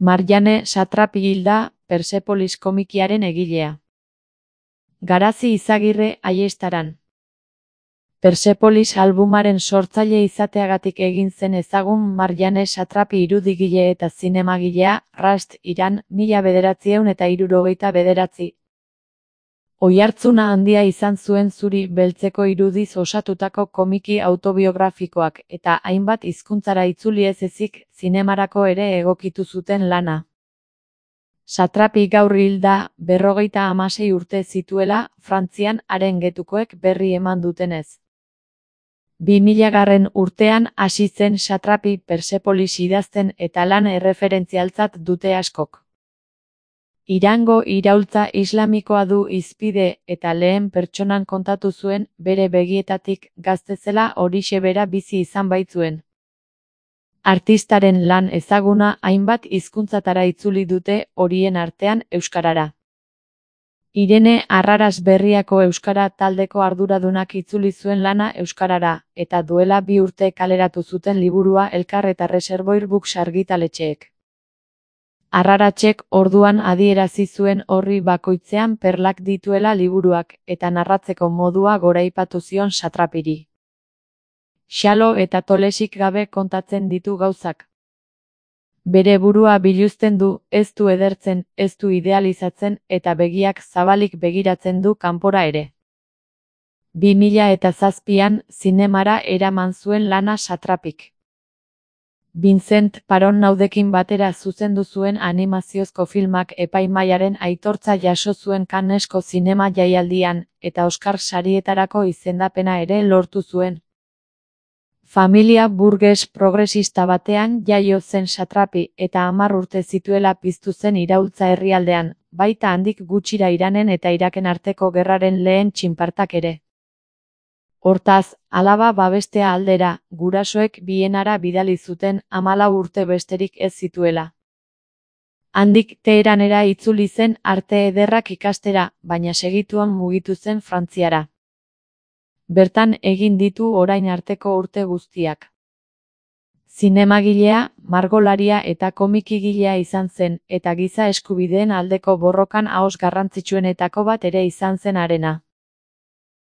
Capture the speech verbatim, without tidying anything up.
Marjane Satrapi hilda, Persepolis komikiaren egilea. Garazi Izagirre Aiestaran. Persepolis albumaren sortzaile izateagatik egin zen ezagun Marjane Satrapi irudigile eta zinemagilea, Rast, Iran, mila bederatziehun eta hirurogeita bederatzi. Oihartzuna handia izan zuen zuri beltzeko irudiz osatutako komiki autobiografikoak eta hainbat hizkuntzara itzuli ez ezik zinemarako ere egokitu zuten lana. Satrapi gaur hilda, berrogeita hamasei urte zituela, Frantzian haren getukoek berri eman dutenez. Bi milagarren urtean hasi zen Satrapi Persepolis idazten eta lan erreferentzialtzat dute askok. Irango iraultza islamikoa du hizpide eta lehen pertsonan kontatu zuen bere begietatik gazte zela horixe bera bizi izan baitzuen. Artistaren lan ezaguna hainbat hizkuntzatara itzuli dute, horien artean euskarara. Irene Arraras Berriako euskara taldeko arduradunak itzuli zuen lana euskarara, eta duela bi urte kaleratu zuten liburua Elkar eta Reservoir Books argitaletxeek. Arraratsek orduan adierazi zuen horri bakoitzean perlak dituela liburuak, eta narratzeko modua goraipatu zion Satrapiri. Xalo eta tolesik gabe kontatzen ditu gauzak. Bere burua biluzten du, ez du edertzen, ez du idealizatzen, eta begiak zabalik begiratzen du kanpora ere. Bi mila eta zazpian, zinemara eraman zuen lana Satrapik. Vincent Paron Naudekin batera zuzendu zuen animaziozko filmak epaimahaiaren aitortza jaso zuen Cannesko zinema jaialdian, eta Oscar sarietarako izendapena ere lortu zuen. Familia burges progresista batean jaio zen Satrapi eta hamar urte zituela piztu zen iraultza herrialdean, baita handik gutxira Iranen eta Iraken arteko gerraren lehen txinpartak ere. Hortaz, alaba babestea aldera, gurasoek Bienara bidali zuten hamalau urte besterik ez zituela. Handik Teheranera itzuli zen arte ederrak ikastera, baina segituan mugitu zen Frantziara. Bertan egin ditu orain arteko urte guztiak. Zinemagilea, margolaria eta komikigilea izan zen, eta giza eskubideen aldeko borrokan ahoz garrantzitsuenetako bat ere izan zen harena.